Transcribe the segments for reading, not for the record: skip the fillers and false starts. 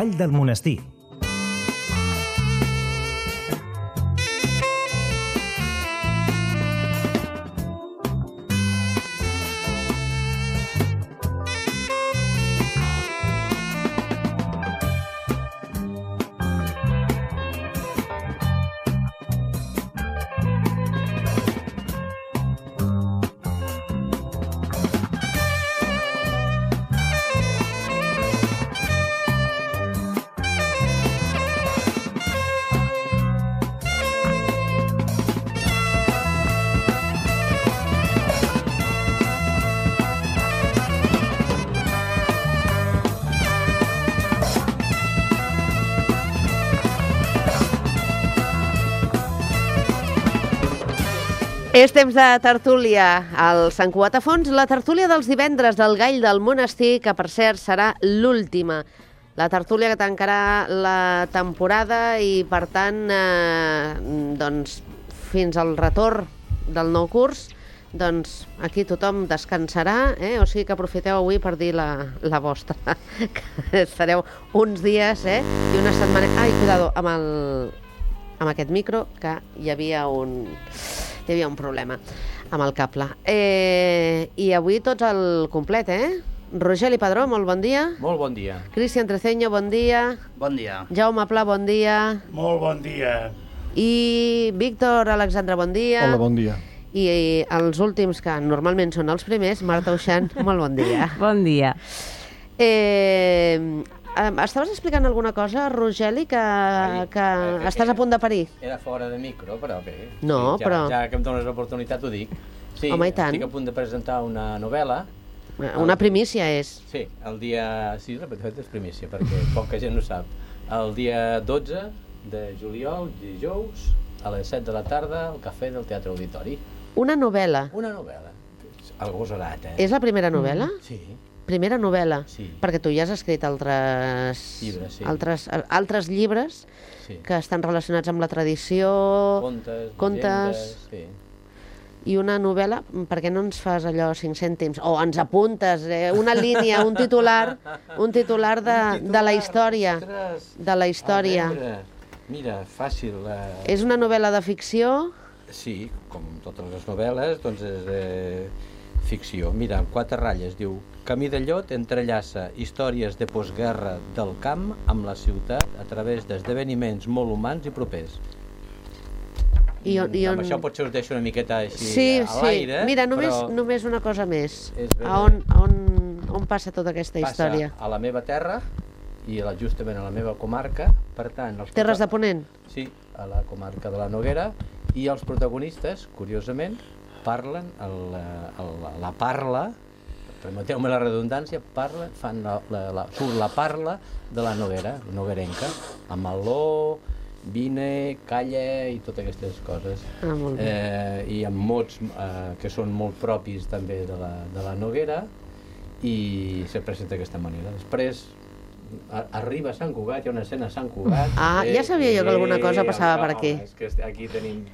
Gall del Monestir. És temps de tertúlia al Sant Cugat a Fons, la tertúlia dels divendres del Gall del Monestir, que per cert serà l'última. La tertúlia que tancarà la temporada i, per tant, doncs, fins al retorn del nou curs, doncs aquí tothom descansarà, o sigui que aprofiteu avui per dir la vostra, que estareu uns dies i una setmana... Ai, cuidado, amb aquest micro, que hi havia un problema amb el cable. I avui tots al complet, Rogeli Padró, molt bon dia. Molt bon dia. Cristian Treceño, bon dia. Bon dia. Jaume Pla, bon dia. Molt bon dia. I Víctor Alexandre, bon dia. Hola, bon dia. I els últims, que normalment són els primers, Marta Uixant, molt bon dia. Bon dia. Estaves explicant alguna cosa, Rogeli, que estàs a punt de parir? Era fora de micro, però bé. No, sí, però... Ja que em dones l'oportunitat ho dic. Sí, home, i tant. Estic a punt de presentar una novel·la. Una primícia és. Sí, el dia... Sí, de fet és primícia, perquè poca gent ho sap. El dia 12 de juliol, dijous, a les 7 de la tarda, al Cafè del Teatre Auditori. Una novel·la? Una novel·la. Agosarat, És la primera novel·la? Sí. Primera novel·la? Sí. Perquè tu ja has escrit altres llibres, sí. altres llibres que estan relacionats amb la tradició... Contes... Sí. I una novel·la, per què no ens fas allò 5 cèntims? O ens apuntes una línia, un titular de la història. De la història. Mira, fàcil. És una novel·la de ficció? Sí, com totes les novel·les, doncs és ficció. Mira, amb 4 ratlles, diu: Camí de Llot entrellaça històries de postguerra del camp amb la ciutat a través d'esdeveniments molt humans i propers. Amb això potser us deixo una miqueta així a l'aire. Mira, només una cosa més. On passa tota aquesta història? Passa a la meva terra i justament a la meva comarca. Per tant, Terres de Ponent? Sí, a la comarca de la Noguera. I els protagonistes, curiosament, parlen la parla, permeteu-me la redundància, surt la parla de la Noguera, noguerenca, amb meló, vine, calla i totes aquestes coses. I amb mots que són molt propis també de la Noguera, i se presenta d'aquesta manera. Després arriba a Sant Cugat, hi ha una escena a Sant Cugat. Ja sabia jo que alguna cosa passava per aquí. És que aquí tenim...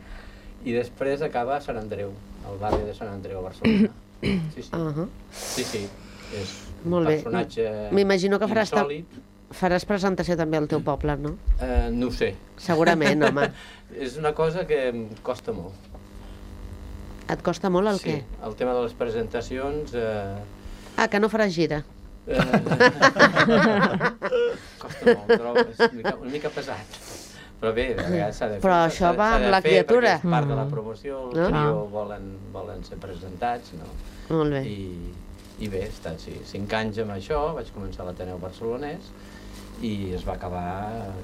I després acaba a Sant Andreu, al barri de Sant Andreu, a Barcelona. Sí, és un personatge m'imagino que insòlit. Faràs presentació també al teu poble, no? No ho sé. Segurament, home. És una cosa que em costa molt. Et costa molt el què? Sí, el tema de les presentacions... que no faràs gira. Costa molt, però és una mica pesat. Però bé, a vegades s'ha de fer. Però això va amb la criatura. Perquè és part de la promoció, el trio volen ser presentats, no? Molt bé. I bé, he estat 5 anys amb això, vaig començar a l'Ateneu Barcelonès i es va acabar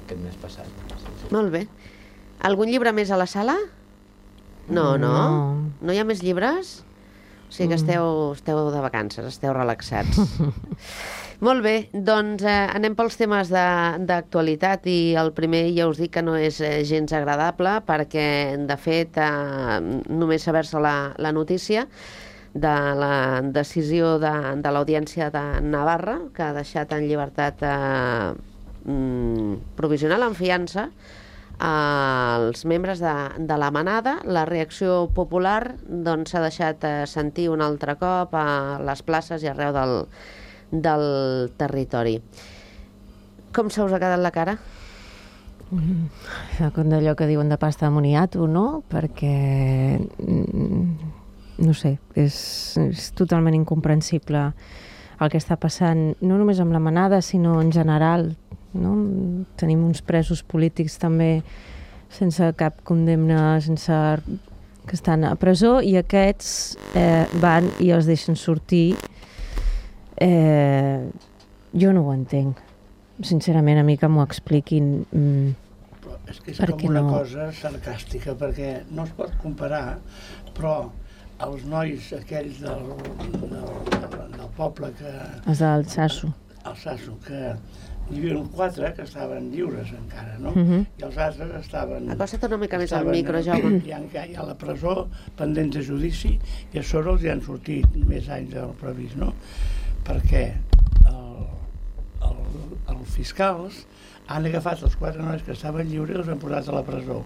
aquest mes passat. Molt bé. Algun llibre més a la sala? No. No hi ha més llibres? O sigui que esteu de vacances, esteu relaxats. Molt bé, doncs anem pels temes d'actualitat i el primer ja us dic que no és gens agradable perquè, de fet, només saber-se la notícia de la decisió de l'Audiència de Navarra, que ha deixat en llibertat provisional, en fiança, als membres de la manada. La reacció popular s'ha deixat sentir un altre cop a les places i arreu del territori. Com se us ha quedat la cara? Com d'allò que diuen de pasta de moniato, no? Perquè, no sé, és totalment incomprensible el que està passant, no només amb la manada, sinó en general, no? Tenim uns presos polítics també sense cap condemna, que estan a presó, i aquests van i els deixen sortir. Jo no ho entenc. Sincerament, a mi que m'ho expliquin. Però és que és com una cosa sarcàstica, perquè no es pot comparar, però els nois aquells del poble que... Els del Sasso. El Sasso, que hi havia 4 que estaven lliures encara, no? I els altres estaven... Acosta't una mica més al micro, Jaume. Hi ha a la presó, pendents de judici, i a sobre els hi han sortit més anys del previst, no? Perquè els fiscals han agafat els 4 nois que estaven lliures i els han posat a la presó.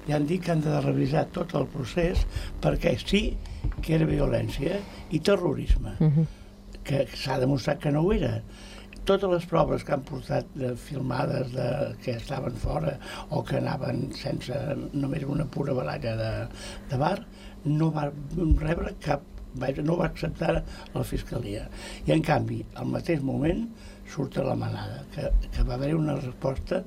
I han dit que han de revisar tot el procés perquè sí que era violència i terrorisme, que s'ha demostrat que no ho era. Totes les proves que han portat filmades que estaven fora o que anaven sense només una pura baralla de bar, no va rebre no va acceptar la fiscalia. I en canvi, al mateix moment, surt a la manada, que va haver una resposta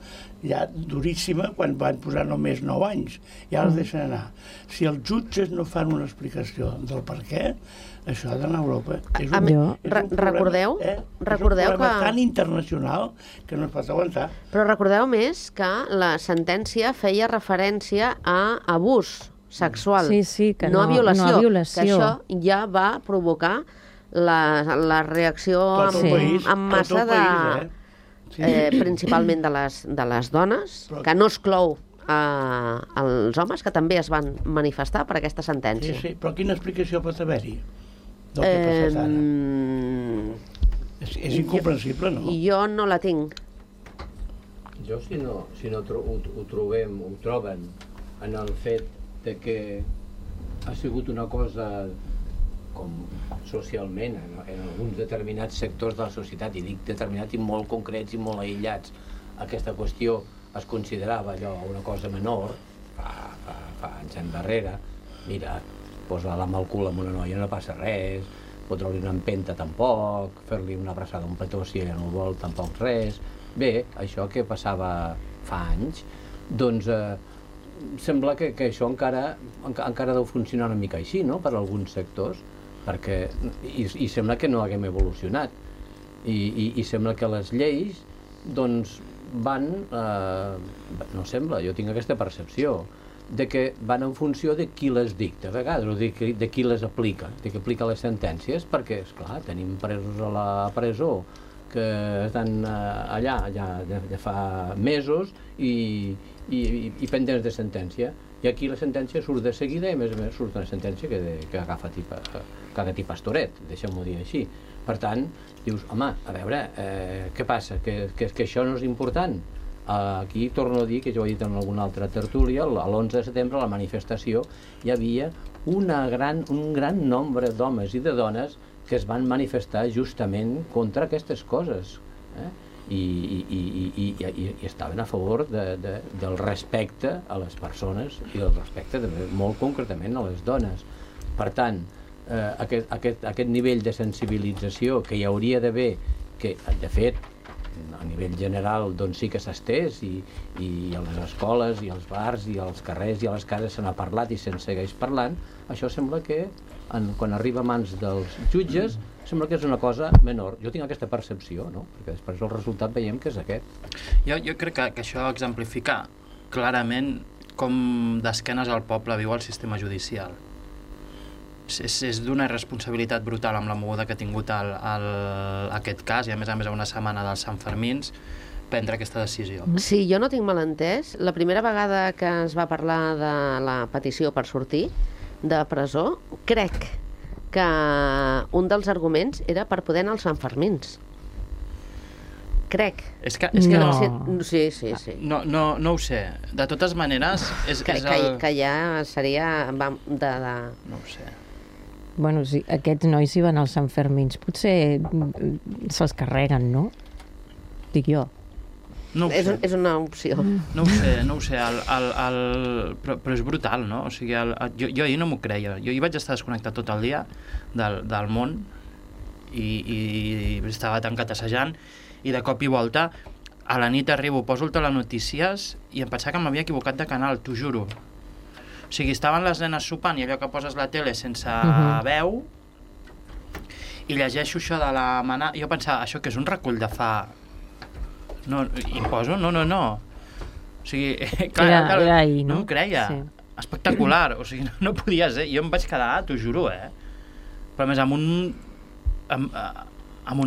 ja duríssima quan van posar només 9 anys, i ara els deixen anar. Si els jutges no fan una explicació del per què, això ha d'anar a Europa. És un recordeu problema tan internacional que no es pot aguantar. Però recordeu més que la sentència feia referència a abús sexual, que no a violació, que això ja va provocar la reacció en massa principalment de les dones, que no exclou els homes, que també es van manifestar per aquesta sentència. Sí, però quina explicació pot haver-hi del que ha passat ara? És incomprensible, no? Jo no la tinc. Jo, si no ho troben en el fet de que ha sigut una cosa com socialment, en alguns determinats sectors de la societat, i dic determinats i molt concrets i molt aïllats, aquesta qüestió es considerava allò una cosa menor, fa anys endarrere, mira, posa-la amb el cul amb una noia no passa res, fotre-li una empenta tampoc, fer-li una abraçada a un petó si ella no ho vol tampoc res. Bé, això que passava fa anys, doncs sembla que això encara deu funcionar una mica així, no?, per alguns sectors, perquè i sembla que no haguem evolucionat i sembla que les lleis doncs van no sembla, jo tinc aquesta percepció de que van en funció de qui les dicta a vegades, o de qui les aplica, de qui aplica les sentències, perquè esclar, tenim presos a la presó que estan allà ja fa mesos i pendents de sentència, i aquí la sentència surt de seguida i a més surt una sentència que agafa ti pastoret, deixem-ho dir així. Per tant, dius, home, a veure, què passa? Que això no és important? Aquí torno a dir, que jo he dit en alguna altra tertúlia, l'11 de setembre a la manifestació hi havia un gran nombre d'homes i de dones que es van manifestar justament contra aquestes coses, i estaven a favor del respecte a les persones i del respecte molt concretament a les dones. Per tant, aquest nivell de sensibilització que hi hauria d'haver, que de fet a nivell general doncs sí que s'ha estès, i a les escoles i als bars i als carrers i a les cases se n'ha parlat i se'n segueix parlant, això sembla que quan arriba a mans dels jutges sembla que és una cosa menor. Jo tinc aquesta percepció, no? Perquè després el resultat veiem que és aquest. Jo crec que això exemplifica clarament com d'esquenes al poble viu el sistema judicial. És d'una irresponsabilitat brutal amb la moguda que ha tingut aquest cas, i a més a una setmana dels Santfermins, prendre aquesta decisió. Sí, jo no tinc mal entès. La primera vegada que es va parlar de la petició per sortir de presó, crec que un dels arguments era per poder anar als Santfermins. Crec. És que no. Sí. No ho sé. De totes maneres... Que ja seria... No ho sé. Bueno, sí, aquests nois hi van als Santfermins. Potser se'ls carreguen, no? Dic jo. No ho sé. És una opció. No ho sé, però és brutal, no? O sigui, jo ahir no m'ho creia. Jo hi vaig estar desconnectat tot el dia del món i estava tancat assajant i de cop i volta a la nit arribo, poso el telenotícies i em pensava que m'havia equivocat de canal, t'ho juro. O sigui, estaven les nenes sopant i allò que poses la tele sense veu i llegeixo això de la manada. Jo pensava, això que és un recull de fa... No, i poso, no. O sigui, clar, era ahir, no? No m'ho creia. Sí. Espectacular, o sigui, no podia ser. Jo em vaig quedar, t'ho juro, Però a més amb un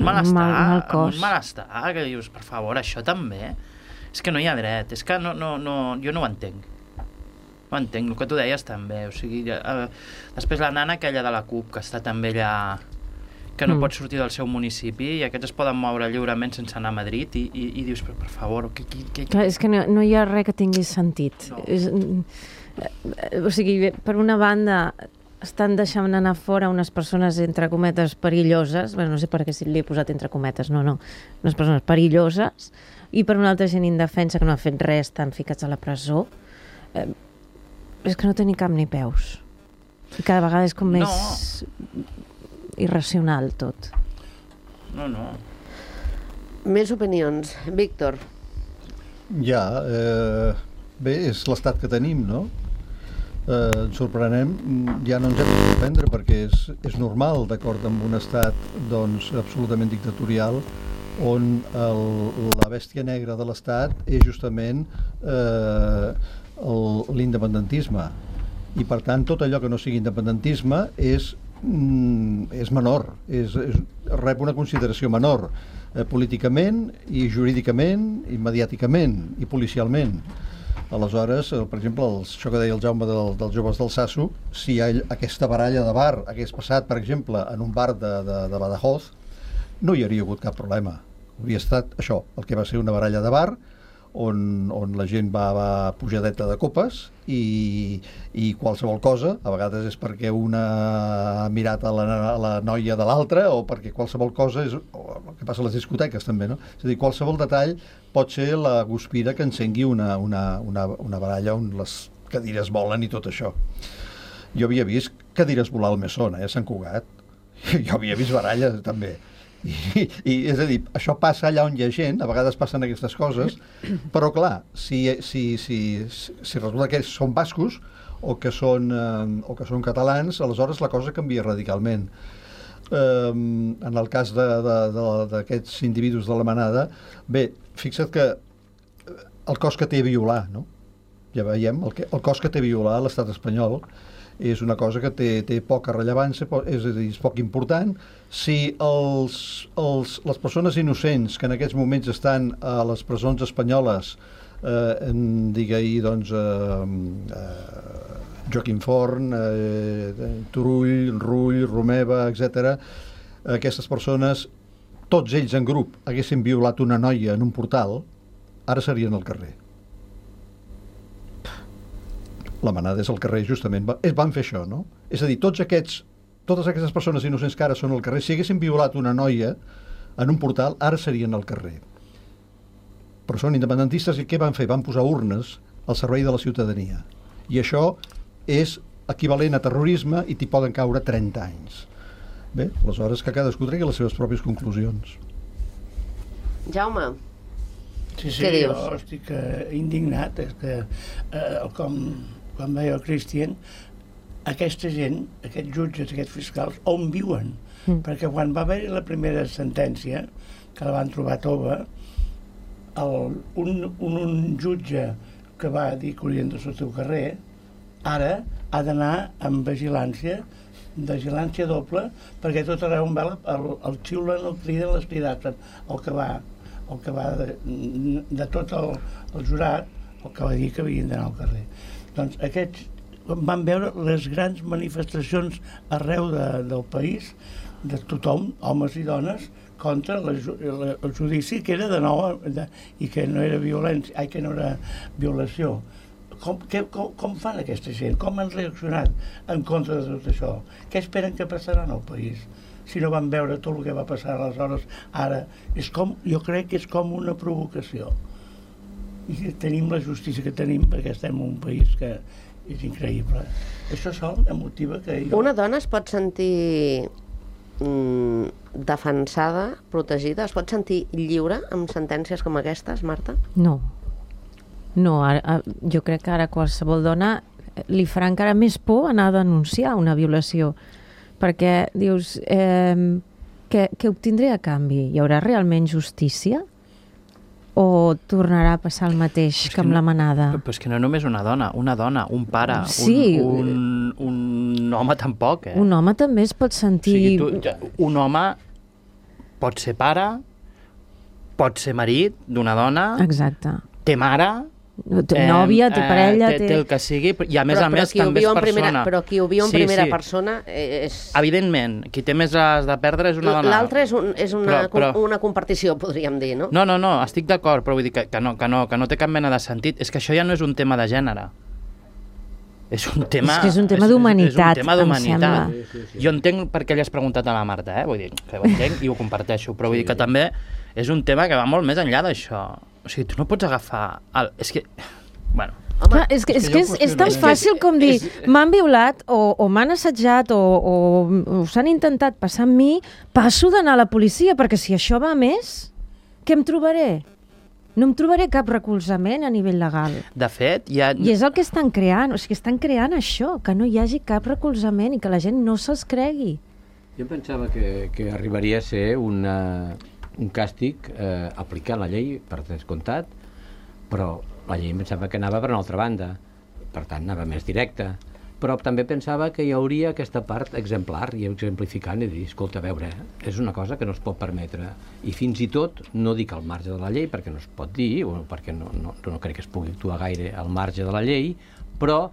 malestar, que dius, per favor, això també. És que no hi ha dret, és que jo no ho entenc. No entenc, el que tu deies també. O sigui, després la nana aquella de la CUP, que està també allà... que no pot sortir del seu municipi i aquests es poden moure lliurement sense anar a Madrid i dius, per favor... Clar, és que no hi ha res que tingui sentit. No. O sigui, per una banda estan deixant anar fora unes persones entre cometes perilloses, no sé per què si li he posat entre cometes, no, unes persones perilloses, i per una altra gent indefensa que no ha fet res, estan ficats a la presó. És que no té ni cap ni peus. I cada vegada és com més... irracional tot. No. Més opinions. Víctor. Ja, bé, és l'estat que tenim, no? Ens sorprenem, ja no ens hem de sorprendre perquè és normal, d'acord amb un estat doncs, absolutament dictatorial on la bèstia negra de l'estat és justament l'independentisme i per tant tot allò que no sigui independentisme és menor, rep una consideració menor políticament i jurídicament i mediàticament i policialment. Aleshores, per exemple, això que deia el Jaume dels joves del Sasso, si aquesta baralla de bar hagués passat, per exemple, en un bar de Badajoz, no hi hauria hagut cap problema. Hauria estat això, el que va ser una baralla de bar on la gent va pujadeta de copes i qualsevol cosa, a vegades és perquè una ha mirat a la noia de l'altra o perquè qualsevol cosa és el que passa a les discoteques també, no? És a dir, qualsevol detall pot ser la guspira que encengui una baralla on les cadires volen i tot això. Jo havia vist cadires volar al Mesón, a Sant Cugat. Jo havia vist baralles també. I és a dir, això passa allà on hi ha gent, a vegades passen aquestes coses, però clar, si resulta que són bascos o que són catalans, aleshores la cosa canvia radicalment. En el cas d'aquests individus de la manada, bé, fixa't que el cost que té violar, no? Ja veiem, el cost que té violar l'estat espanyol és una cosa que té poca rellevància, és a dir, és poc important. Si les persones innocents que en aquests moments estan a les presons espanyoles, digue-hi, doncs, Joaquim Forn, Turull, Rull, Romeva, etc., aquestes persones, tots ells en grup, haguessin violat una noia en un portal, ara serien al carrer. La manada és al carrer, justament. Van fer això, no? És a dir, totes aquestes persones innocents que ara són al carrer, si haguessin violat una noia en un portal, ara serien al carrer. Però són independentistes i què van fer? Van posar urnes al servei de la ciutadania. I això és equivalent a terrorisme i t'hi poden caure 30 anys. Bé, aleshores que cadascú tregui les seves pròpies conclusions. Jaume. Sí, què dius? Jo estic indignat. És que, com deia el Cristian, aquesta gent, aquests jutges, aquests fiscals, on viuen? Perquè quan va haver-hi la primera sentència, que la van trobar tova, un jutge que va dir que haurien de sortir al carrer, ara ha d'anar amb vigilància doble, perquè tot arreu on va el xiulen, el criden, les cridats, el que va de tot el jurat, el que va dir que havien d'anar al carrer. Doncs aquests van veure les grans manifestacions arreu del país, de tothom, homes i dones, contra el judici que era de nou i que no era violència, que no era violació. Com fan aquesta gent? Com han reaccionat en contra de tot això? Què esperen que passarà al país? Si no van veure tot el que va passar aleshores, ara jo crec que és com una provocació. i que tenim la justícia que tenim, perquè estem en un país que és increïble. Això sol em motiva que jo... Una dona es pot sentir defensada, protegida, es pot sentir lliure amb sentències com aquestes, Marta? No. No, jo crec que ara qualsevol dona li farà encara més por anar a denunciar una violació, perquè dius, què obtindré a canvi? Hi haurà realment justícia? O tornarà a passar el mateix que amb la manada? Però és que no només una dona, un pare, sí. un home tampoc, eh? Un home també es pot sentir... O sigui, un home pot ser pare, pot ser marit d'una dona, Exacte. té mare... Té nòvia, té parella... Té el que sigui, i a més també és persona. Però qui ho viu en primera persona és... Evidentment, qui té més les de perdre és una dona. L'altre és una compartició, podríem dir, no? No, estic d'acord, però vull dir que no té cap mena de sentit. És que això ja no és un tema de gènere. És un tema... És que és un tema d'humanitat, és un tema d'humanitat. Sí. Jo entenc per què li has preguntat a la Marta, vull dir, que ho entenc i ho comparteixo, però vull dir que també és un tema que va molt més enllà d'això. O sigui, tu no pots agafar... És que... Bueno... Home, és tan fàcil com dir m'han violat o m'han assetjat o s'han intentat passar amb mi, passo d'anar a la policia, perquè si això va a més, què em trobaré? No em trobaré cap recolzament a nivell legal. De fet, I és el que estan creant, o sigui, estan creant això, que no hi hagi cap recolzament i que la gent no se'ls cregui. Jo pensava que arribaria a ser un càstig aplicar la llei, per descomptat, però la llei em pensava que anava per una altra banda, per tant anava més directa, però també pensava que hi hauria aquesta part exemplar i exemplificant i dir, escolta, a veure, és una cosa que no es pot permetre, i fins i tot, no dic al marge de la llei, perquè no es pot dir, o perquè no crec que es pugui actuar gaire al marge de la llei, però,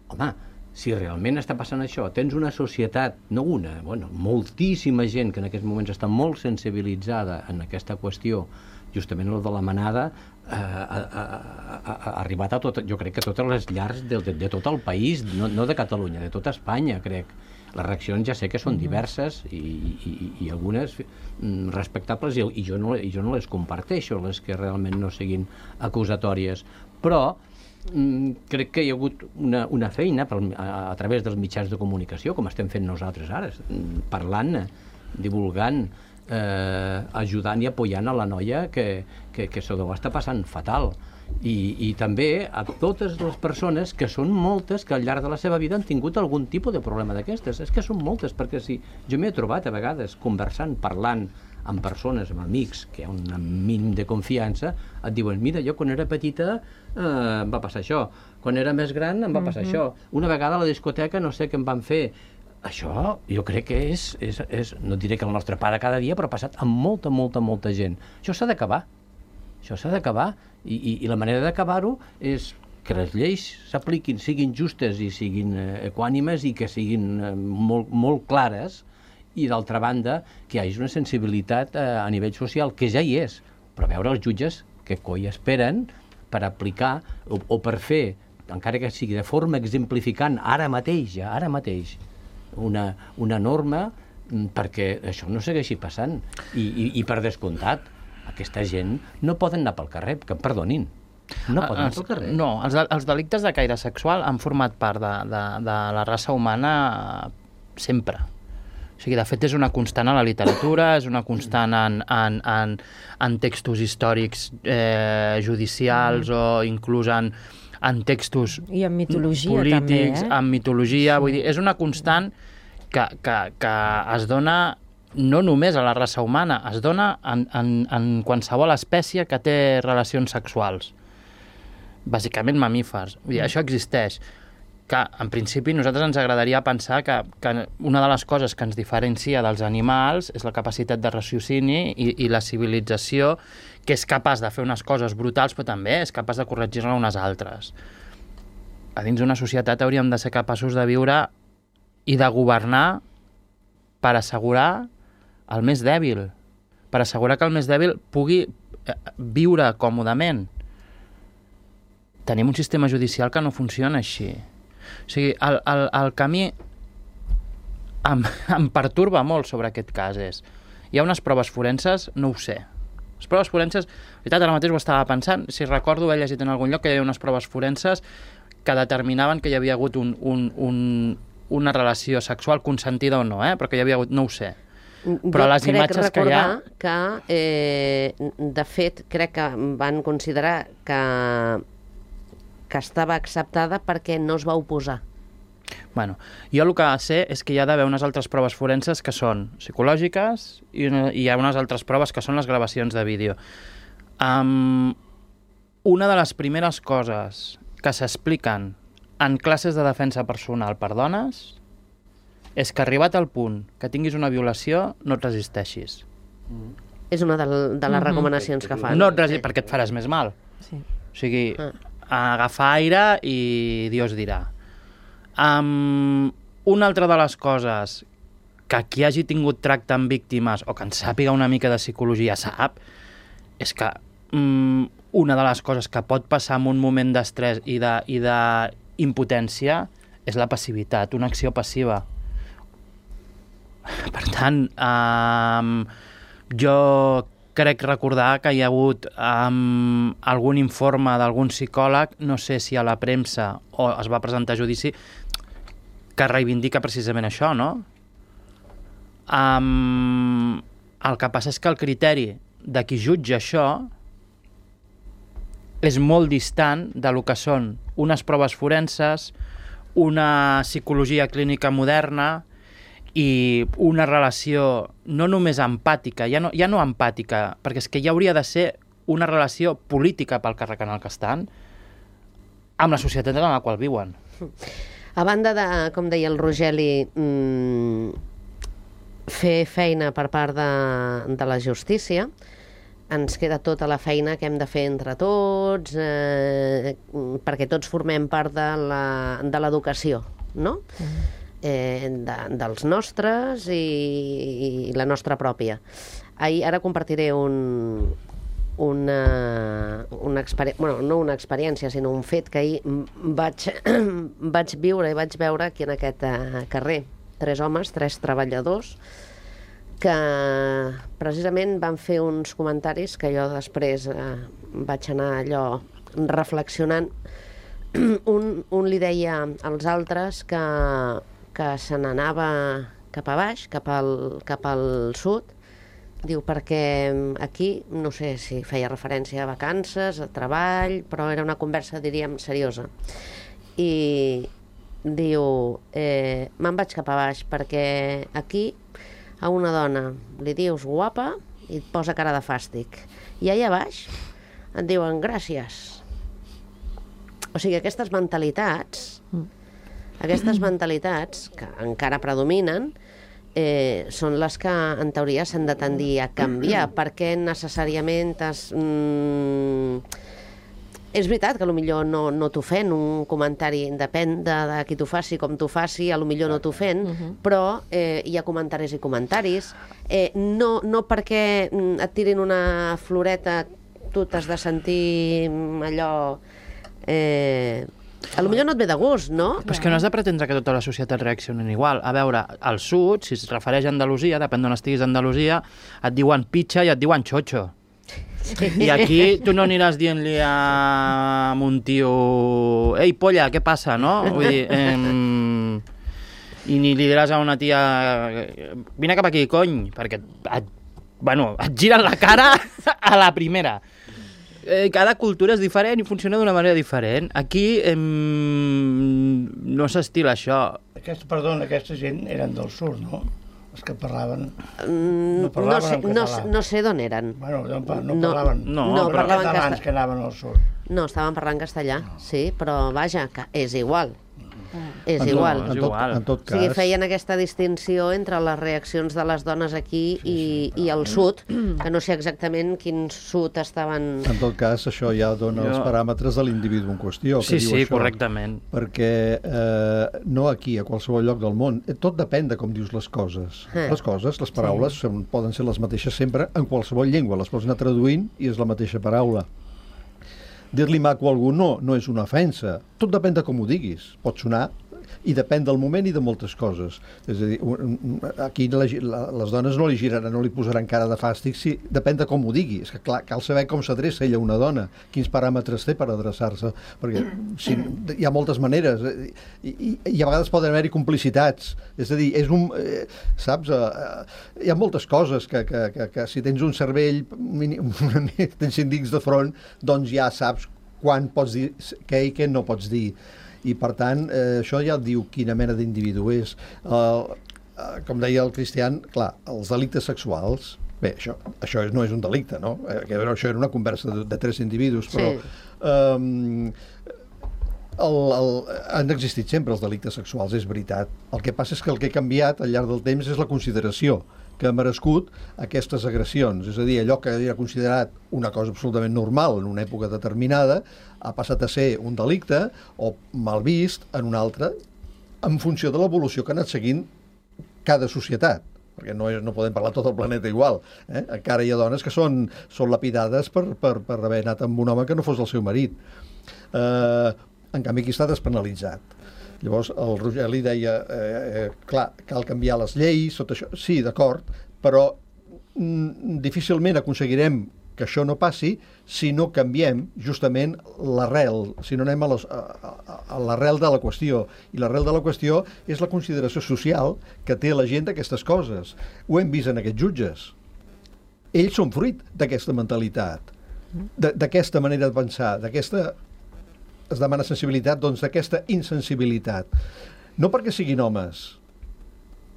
home, si realment està passant això, tens una societat, no una, moltíssima gent que en aquests moments està molt sensibilitzada en aquesta qüestió, justament el de la manada, ha arribat a tot, jo crec que a totes les llars de tot el país, no de Catalunya, de tota Espanya, crec. Les reaccions ja sé que són diverses i algunes respectables i jo no les comparteixo, les que realment no siguin acusatòries, però crec que hi ha hagut una feina a través dels mitjans de comunicació, com estem fent nosaltres ara, parlant, divulgant, ajudant i apoyant a la noia que se ho està passant fatal. I també a totes les persones, que són moltes, que al llarg de la seva vida han tingut algun tipus de problema d'aquestes. És que són moltes, perquè si jo m'he trobat a vegades conversant, parlant amb persones, amb amics, que hi ha un mínim de confiança, et diuen, mira, jo quan era petita em va passar això, quan era més gran em va passar això, una vegada a la discoteca no sé què em van fer. Això jo crec que és, no diré que el nostre pare cada dia, però ha passat amb molta gent. Això s'ha d'acabar. Això s'ha d'acabar i la manera d'acabar-ho és que les lleis s'apliquin, siguin justes i siguin equànimes i que siguin molt clares, i d'altra banda que hi hagi una sensibilitat a nivell social, que ja hi és, però veure els jutges que coi esperen per aplicar o per fer, encara que sigui de forma exemplificant ara mateix, una norma perquè això no segueixi passant. I per descomptat, aquesta gent no poden anar pel carrer, que em perdonin. No poden anar pel carrer. No, els delictes de caire sexual han format part de la raça humana sempre. O sigui, de fet, és una constant a la literatura, és una constant en textos històrics judicials o inclús en textos i en mitologia polítics, també, en mitologia, vull dir, és una constant que es dona no només a la raça humana, es dona en qualsevol espècie que té relacions sexuals, bàsicament mamífers. Vull dir, això existeix. Que en principi nosaltres ens agradaria pensar que una de les coses que ens diferencia dels animals és la capacitat de raciocini i la civilització, que és capaç de fer unes coses brutals però també és capaç de corregir-ne unes altres. A dins d'una societat hauríem de ser capaços de viure i de governar per assegurar el més dèbil, per assegurar que el més dèbil pugui viure còmodament. Tenim un sistema judicial que no funciona així. O sigui, el camí em pertorba molt sobre aquest cas. Hi ha unes proves forenses? No ho sé. Les proves forenses, en veritat, ara mateix ho estava pensant, si recordo, he llegit en algun lloc que hi havia unes proves forenses que determinaven que hi havia hagut una relació sexual consentida o no, però que hi havia hagut, no ho sé. Però les imatges que hi ha... de fet, crec que van considerar que estava acceptada perquè no es va oposar. Bueno, jo el que sé és que hi ha d'haver unes altres proves forenses que són psicològiques i hi ha unes altres proves que són les gravacions de vídeo. Una de les primeres coses que s'expliquen en classes de defensa personal per dones és que arribat al punt que tinguis una violació no et resisteixis. És una de les recomanacions que fan. No et resisteixis perquè et faràs més mal. Sí. O sigui, agafar aire i Dios dirà. Una altra de les coses que qui hagi tingut tracte amb víctimes o que en sàpiga una mica de psicologia sap és que una de les coses que pot passar en un moment d'estrès i d'impotència és la passivitat, una acció passiva. Per tant, jo crec recordar que hi ha hagut algun informe d'algun psicòleg, no sé si a la premsa o es va presentar a judici, que reivindica precisament això, no? El que passa és que el criteri de qui jutja això és molt distant de lo que són unes proves forenses, una psicologia clínica moderna i una relació no només empàtica, ja no empàtica, perquè és que ja hauria de ser una relació política pel càrrec en el que estan, amb la societat en la qual viuen. A banda de, com deia el Rogeli, fer feina per part de la justícia, ens queda tota la feina que hem de fer entre tots, perquè tots formem part de l'educació, no? Dels nostres i la nostra pròpia. Ara compartiré una experiència, bueno, no una experiència, sinó un fet que ahir vaig viure i vaig veure aquí en aquest carrer. 3 homes, 3 treballadors, que precisament van fer uns comentaris que jo després vaig anar allò reflexionant. Un li deia als altres que se n'anava cap a baix, cap al sud, diu, perquè aquí, no sé si feia referència a vacances, a treball, però era una conversa, diríem, seriosa. I diu, me'n vaig cap a baix, perquè aquí a una dona li dius guapa i et posa cara de fàstic. I allà baix et diuen gràcies. O sigui, aquestes mentalitats que encara predominen són les que en teoria s'han de tendir a canviar, perquè necessàriament és veritat que potser no t'ofèn un comentari, depèn de qui t'ho faci, com t'ho faci, potser no t'ofèn, però hi ha comentaris i comentaris. No perquè et tirin una floreta tu t'has de sentir allò... potser no et ve de gust, no? Però és que no has de pretendre que tota la societat reaccionen igual. A veure, al sud, si es refereix a Andalusia, depèn d'on estiguis a Andalusia, et diuen pitxa i et diuen xotxo. Sí. I aquí tu no aniràs dient-li a un tio ei, polla, què passa, no? Vull dir, i ni li diràs a una tia vine cap aquí, cony, perquè et giren la cara a la primera. Cada cultura és diferent i funciona d'una manera diferent. Aquí no s'estila això. Aquesta gent eren del sud, no? Els que parlaven... No sé d'on eren. Bueno, no parlaven... No, parlaven catalans que anaven al sud. No, estaven parlant castellà, sí, però vaja, que és igual. És igual. En tot cas... O sigui, feien aquesta distinció entre les reaccions de les dones aquí i el sud, que no sé exactament quin sud estaven... En tot cas, això ja dona els paràmetres de l'individu en qüestió. Sí, correctament. Perquè no aquí, a qualsevol lloc del món, tot depèn de com dius les coses. Les paraules poden ser les mateixes sempre en qualsevol llengua. Les pots anar traduint i és la mateixa paraula. Dir-li maco a algú no és una ofensa. Tot depèn de com ho diguis. Pot sonar i depèn del moment i de moltes coses. És a dir, aquí les dones no li giraran, no li posaran cara de fàstic, depèn de com ho digui. És que clar, cal saber com s'adreça ella a una dona, quins paràmetres té per adreçar-se, perquè hi ha moltes maneres i a vegades poden haver-hi complicitats. És a dir, saps? Hi ha moltes coses que si tens un cervell, tens 5 dits de front, doncs ja saps quan pots dir què i què no pots dir. I, per tant, això ja et diu quina mena d'individu és. Com deia el Cristian, clar, els delictes sexuals, bé, això no és un delicte, no? Això era una conversa de 3 individus, però han existit sempre els delictes sexuals, és veritat. El que passa és que el que ha canviat al llarg del temps és la consideració que ha merescut aquestes agressions. És a dir, allò que era considerat una cosa absolutament normal en una època determinada ha passat a ser un delicte o mal vist en una altra en funció de l'evolució que ha anat seguint cada societat. Perquè no podem parlar tot el planeta igual. Encara hi ha dones que són lapidades per haver anat amb un home que no fos el seu marit. En canvi, aquí està despenalitzat. Llavors, el Rogeli deia, clar, cal canviar les lleis, tot això. Sí, d'acord, però difícilment aconseguirem que això no passi si no canviem justament l'arrel, si no anem a l'arrel de la qüestió. I l'arrel de la qüestió és la consideració social que té la gent d'aquestes coses. Ho hem vist en aquests jutges. Ells són fruit d'aquesta mentalitat, d'aquesta manera de pensar, es demana sensibilitat, doncs d'aquesta insensibilitat. No perquè siguin homes,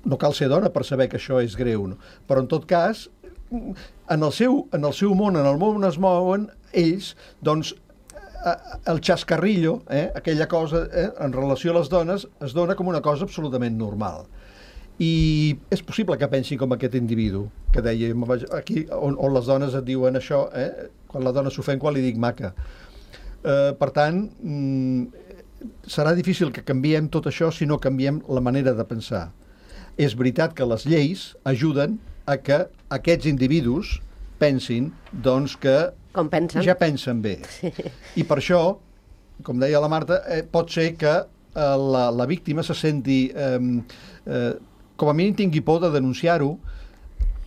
no cal ser dona per saber que això és greu, no? Però en tot cas, en el seu món, en el món on es mouen, ells, doncs, el xascarrillo, aquella cosa, en relació a les dones, es dona com una cosa absolutament normal. I és possible que pensin com aquest individu, que deia, aquí on les dones et diuen això, quan la dona s'ofèn quan li dic maca. Per tant, serà difícil que canviem tot això si no canviem la manera de pensar. És veritat que les lleis ajuden a que aquests individus pensin, doncs, que ja pensen bé. Sí. I per això, com deia la Marta, pot ser que la víctima se senti, com a mínim tingui por de denunciar-ho,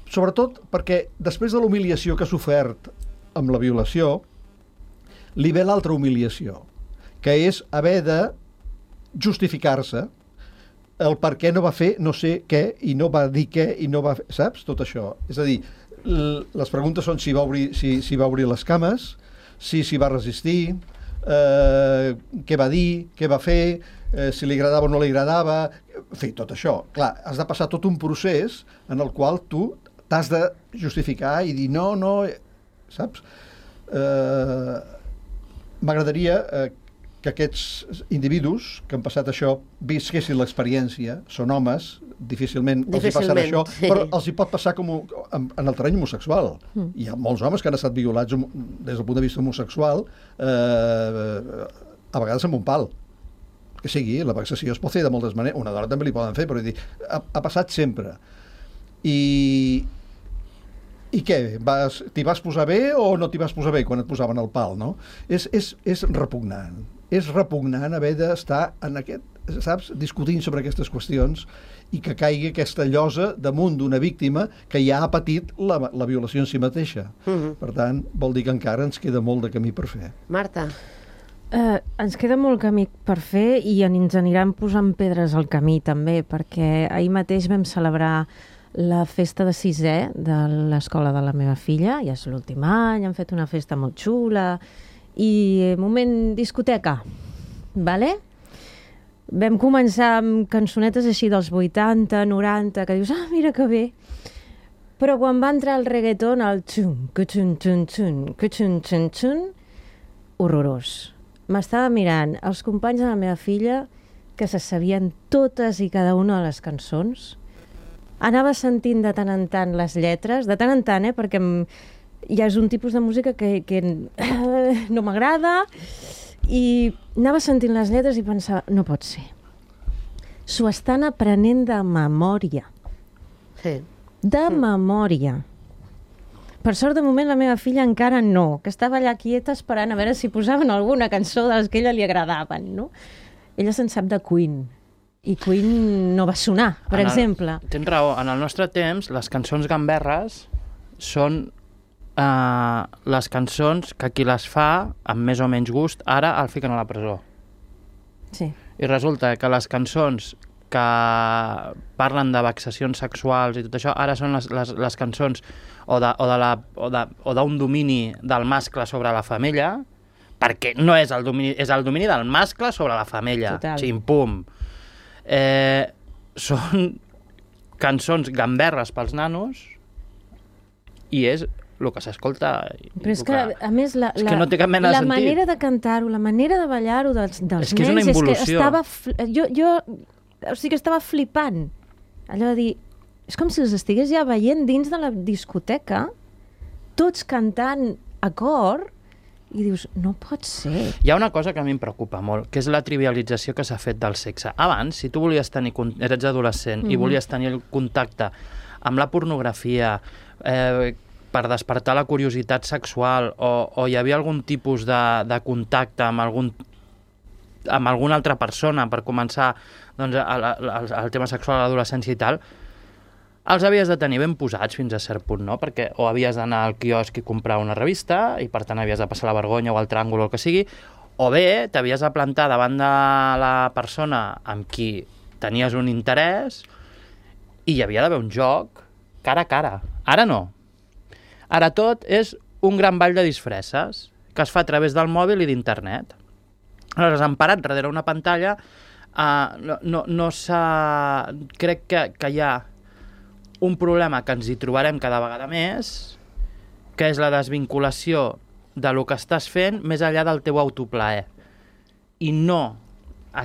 sobretot perquè després de l'humiliació que ha sofert amb la violació, li ve l'altra humiliació, que és haver de justificar-se el per què no va fer no sé què i no va dir què i no va fer, saps? Tot això. És a dir, les preguntes són si va obrir les cames, si s'hi va resistir, què va dir, què va fer, si li agradava o no li agradava, en fi, tot això. Clar, has de passar tot un procés en el qual tu t'has de justificar i dir no, saps? M'agradaria que aquests individus que han passat això visquessin l'experiència, són homes, difícilment els hi passarà això, sí. Però els hi pot passar com en el terreny homosexual. Hi ha molts homes que han estat violats des del punt de vista homosexual, a vegades amb un pal. Que sigui, la vexació es pot fer de moltes maneres, una dona també li poden fer, però ha passat sempre. I què? T'hi vas posar bé o no t'hi vas posar bé quan et posaven el pal, no? És repugnant. És repugnant haver d'estar en saps, discutint sobre aquestes qüestions i que caigui aquesta llosa damunt d'una víctima que ja ha patit la violació en si mateixa. Per tant, vol dir que encara ens queda molt de camí per fer. Marta? Ens queda molt camí per fer i ens aniran posant pedres al camí també, perquè ahir mateix vam celebrar la festa de 6è de l'escola de la meva filla, ja és l'últim any, han fet una festa molt xula i moment discoteca, vale? Vam començar amb cançonetes així dels 80, 90, que dius, mira que bé, però quan va entrar el reggaeton, el xun, que-xun, xun, xun, que-xun, xun, xun, horrorós. M'estava mirant els companys de la meva filla que se sabien totes i cada una de les cançons. Anava sentint de tant en tant les lletres, de tant en tant, perquè ja és un tipus de música que no m'agrada, i anava sentint les lletres i pensava, no pot ser. S'ho estan aprenent de memòria. Sí. De memòria. Per sort, de moment, la meva filla encara no, que estava allà quieta esperant a veure si posaven alguna cançó de les que a ella li agradaven, no? Ella se'n sap de Queen, I Queen no va sonar, per exemple. Tens raó, en el nostre temps les cançons gamberres són les cançons que qui les fa amb més o menys gust ara el fiquen a la presó. Sí. I resulta que les cançons que parlen de vexacions sexuals i tot això, ara són les cançons o d'un domini del mascle sobre la femella, perquè no és el domini, és el domini del mascle sobre la femella. Total. Ximpum. Són cançons gamberres pels nanos i és el que s'escolta. Però és que, a més, és que no té cap mena de sentit. La manera de cantar-ho, la manera de ballar-ho dels és que és nens, una involució. és que estava... O sigui que estava flipant. Allò de dir... És com si els estigués ja veient dins de la discoteca, tots cantant a cor, i dius, no pot ser. Hi ha una cosa que a mi em preocupa molt, que és la trivialització que s'ha fet del sexe. Abans, si tu volies tenir... eres adolescent i volies tenir el contacte amb la pornografia, per despertar la curiositat sexual, o hi havia algun tipus de contacte amb alguna altra persona per començar doncs, el tema sexual a l'adolescència i tal, els havies de tenir ben posats fins a cert punt, no? Perquè o havies d'anar al quiosc i comprar una revista i per tant havies de passar la vergonya o el tràngol o el que sigui, o bé t'havies de plantar davant de la persona amb qui tenies un interès i hi havia d'haver un joc cara a cara. Ara no. Ara tot és un gran ball de disfresses que es fa a través del mòbil i d'internet. Aleshores, emparat darrere una pantalla, crec que hi ha un problema que ens hi trobarem cada vegada més, que és la desvinculació de lo que estàs fent més enllà del teu autoplaer. I no no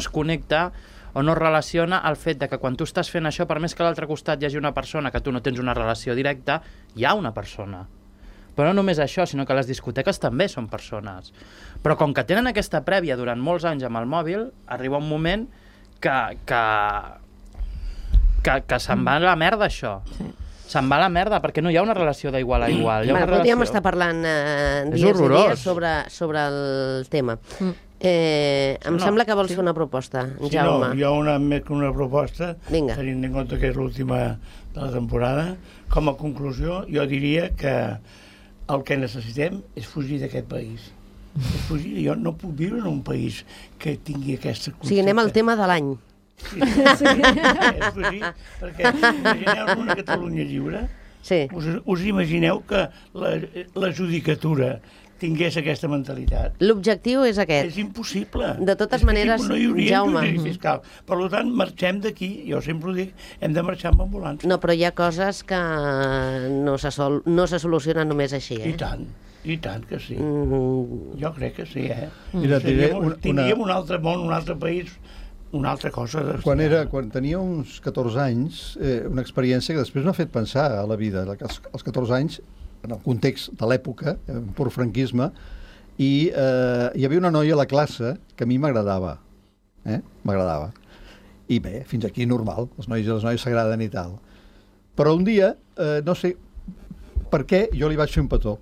es connecta o no relaciona el fet de que quan tu estàs fent això, per més que a l'altre costat hi hagi una persona que tu no tens una relació directa, hi ha una persona. Però no només això, sinó que les discoteques també són persones. Però com que tenen aquesta prèvia durant molts anys amb el mòbil, arriba un moment que se'n va a la merda, això. Sí. Se'n va a la merda, perquè no hi ha una relació d'igual a igual. Podríem estar parlant dies i dies sobre el tema. Em sembla que vols fer una proposta, Jaume. Sí, jo més que una proposta, tenint en compte que és l'última de la temporada, com a conclusió, jo diria que el que necessitem és fugir d'aquest país. És fugir. Jo no puc viure en un país que tingui aquesta concepte. O sigui, anem al tema de l'any. Sí. És fugir, perquè imagineu una Catalunya lliure. Sí. Us imagineu que la judicatura tingués aquesta mentalitat. L'objectiu és aquest. És impossible. De totes maneres, no hi hauria Jaume... fiscal. Per tant, marxem d'aquí, jo sempre ho dic, hem de marxar amb ambulància. No, però hi ha coses que no se solucionen només així, I tant que sí. Jo crec que sí, Mira, tindríem un altre món, un altre país, una altra cosa. Quan tenia uns 14 anys, una experiència que després m'ha fet pensar a la vida. Als 14 anys, en el context de l'època, pur franquisme, i hi havia una noia a la classe que a mi m'agradava. M'agradava. I bé, fins aquí normal, els nois i les noies s'agraden i tal. Però un dia, no sé per què, jo li vaig fer un petó.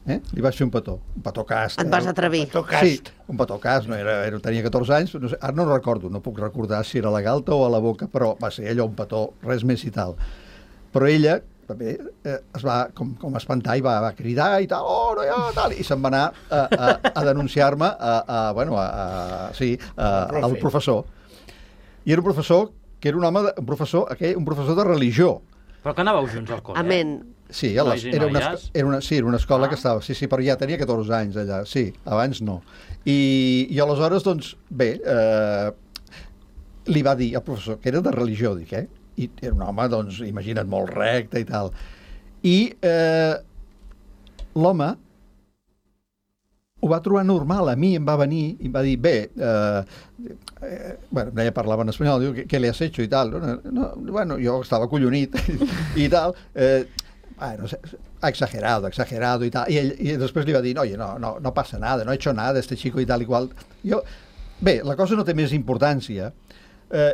Li vaig fer un petó cast. Et vas atrevir. Sí, un petó cast, tenia 14 anys, no sé, ara no recordo, no puc recordar si era a la galta o a la boca, però va ser allò un petó, res més i tal. Però ella també es va com espantar i va cridar i tal, no hi ha, tal, i se'n va anar a denunciar-me al professor. I era un professor que era un professor de religió. Però que anàveu junts al col·le? Amén. Sí, era una escola que estava... Sí, però ja tenia 14 anys allà, sí, abans no. I aleshores, doncs, bé, li va dir al professor, que era de religió, dic, i era un home, doncs, imagina't, molt recte i tal. I l'home ho va trobar normal, a mi em va venir i em va dir, ella parlava en espanyol, diu, què li has hecho i tal. Bueno, jo estava collonit i tal, ha exagerado y tal. Y después le iba a decir, oye, no pasa nada, no he hecho nada, este chico y tal y qual. Bé, la cosa no té més importància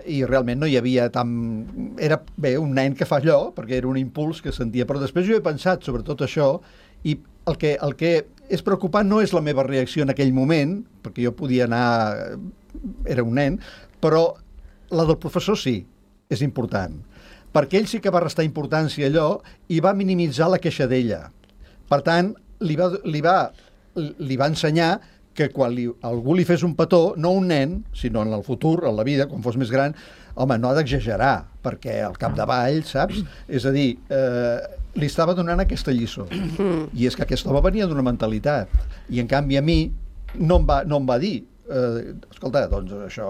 i realment no hi havia Era, un nen que fa allò, perquè era un impuls que sentia, però després jo he pensat sobre tot això i el que és preocupant no és la meva reacció en aquell moment, perquè jo podia anar... Era un nen, però la del professor sí, és important. Perquè ell sí que va restar importància a allò i va minimitzar la queixa d'ella. Per tant, li va ensenyar que quan algú li fes un petó, no un nen, sinó en el futur, en la vida, quan fos més gran, home, no ha d'exagerar, perquè al capdavall, saps? És a dir, li estava donant aquesta lliçó. I és que aquest home venia d'una mentalitat. I en canvi a mi no em va dir escolta, doncs això...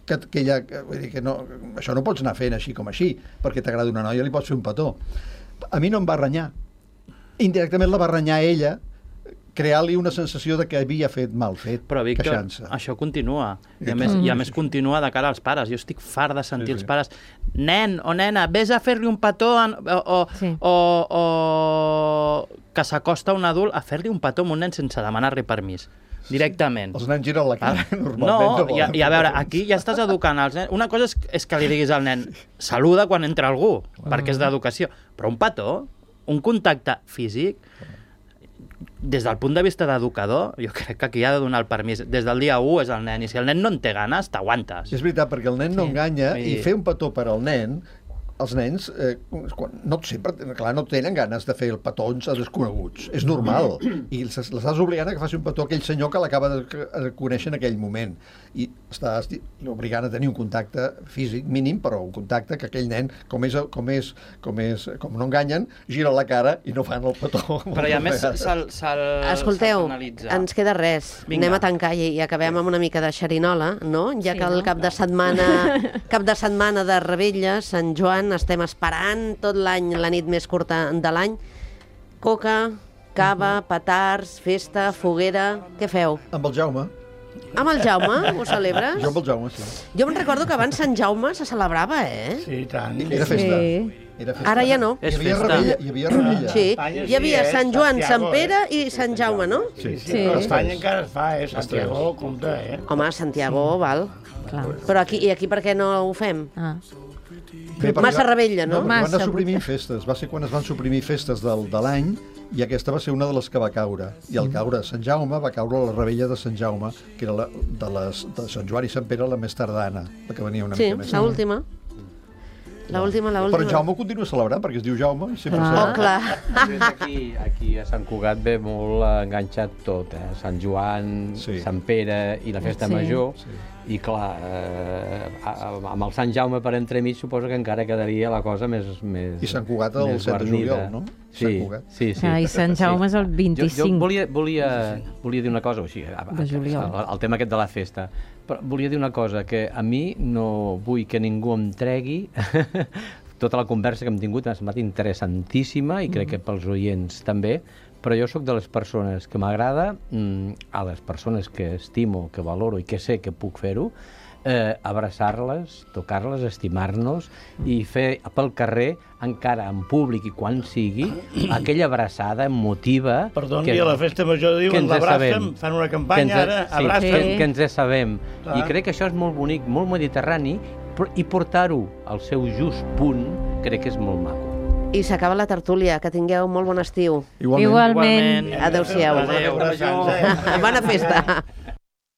Que ella, vull dir que no, això no pots anar fent així com així, perquè t'agrada una noia, li pots fer un petó. A mi no em va renyar. Indirectament la va renyar ella, crear-li una sensació de que havia fet mal fet, però, Víctor, queixant-se. Això continua. I a més continua de cara als pares. Jo estic fart de sentir els pares, nen o nena, vés a fer-li un petó o que s'acosta un adult a fer-li un petó a un nen sense demanar-li permís. Directament. Els nens giren la cara, normalment. No, i a veure, aquí ja estàs educant els nens. Una cosa és que li diguis al nen, saluda quan entra algú, perquè és d'educació. Però un petó, un contacte físic, des del punt de vista d'educador, jo crec que aquí ha de donar el permís. Des del dia 1 és el nen, i si el nen no en té ganes, t'aguantes. És veritat, perquè el nen no enganya, i fer un petó per al nen, els nens no sempre, clar, no tenen ganes de fer el petons a desconeguts. És normal. I l'estàs obligant a que faci un petó a aquell senyor que l'acaba de conèixer en aquell moment. I estàs obligant a tenir un contacte físic mínim, però un contacte que aquell nen, com no enganyen, gira la cara i no fan el petó. Però i a més escolteu, ens queda res. Vinga. Anem a tancar i acabem amb una mica de xerinola, no? Ja que el cap de setmana de Rebella, Sant Joan, estem esperant tot l'any, la nit més curta de l'any. Coca, cava, petards, festa, foguera... Què feu? Amb el Jaume. Amb el Jaume? Ho celebres? Jo amb el Jaume, sí. Jo me'n recordo que abans Sant Jaume se celebrava, Sí, tant. Era festa. Sí. Ara ja no. És Hi havia festa. rebella. Hi havia rebella. Sí, hi havia Sant Joan, Sant Pere i Sant Jaume, no? Sí. Però a Espanya encara es fa, Santiago, compte, Home, Santiago, val. Clar. Però aquí per què no ho fem? Ah. Bé, perquè Massa rebella, no? Van Massa. anar suprimint festes. Va ser quan es van suprimir festes de l'any i aquesta va ser una de les que va caure. I al caure Sant Jaume va caure la rebella de Sant Jaume, que era de Sant Joan i Sant Pere la més tardana, la que venia una Sí, mica més. l'última. L'última. Però en Jaume ho continua celebrant perquè es diu Jaume i sempre Oh, clar. Aquí a Sant Cugat ve molt enganxat tot, Sant Joan, Sí. Sant Pere i la festa Sí. major. Sí. I clar, amb el Sant Jaume per entremig suposo que encara quedaria la cosa més I Sant Cugat el 7 de juliol, no? Sant Sí, Cugat. sí. Ah, i Sant Jaume és el 25. Jo volia dir una cosa, o sigui, De juliol. el tema aquest de la festa, però volia dir una cosa, que a mi no vull que ningú em tregui tota la conversa que hem tingut, m'ha semblat interessantíssima i crec que pels oients també, però jo sóc de les persones que m'agrada, a les persones que estimo, que valoro i que sé que puc fer-ho, abraçar-les, tocar-les, estimar-nos i fer pel carrer, encara en públic i quan sigui, aquella abraçada emotiva... Perdoni, a la festa major diuen l'abracem, fan una campanya ara, abracem. Que ens sabem. Clar. I crec que això és molt bonic, molt mediterrani, i portar-ho al seu just punt crec que és molt maco. I s'acaba la tertúlia. Que tingueu molt bon estiu. Igualment. Igualment. Adéu-siau. Adéu. Bona festa.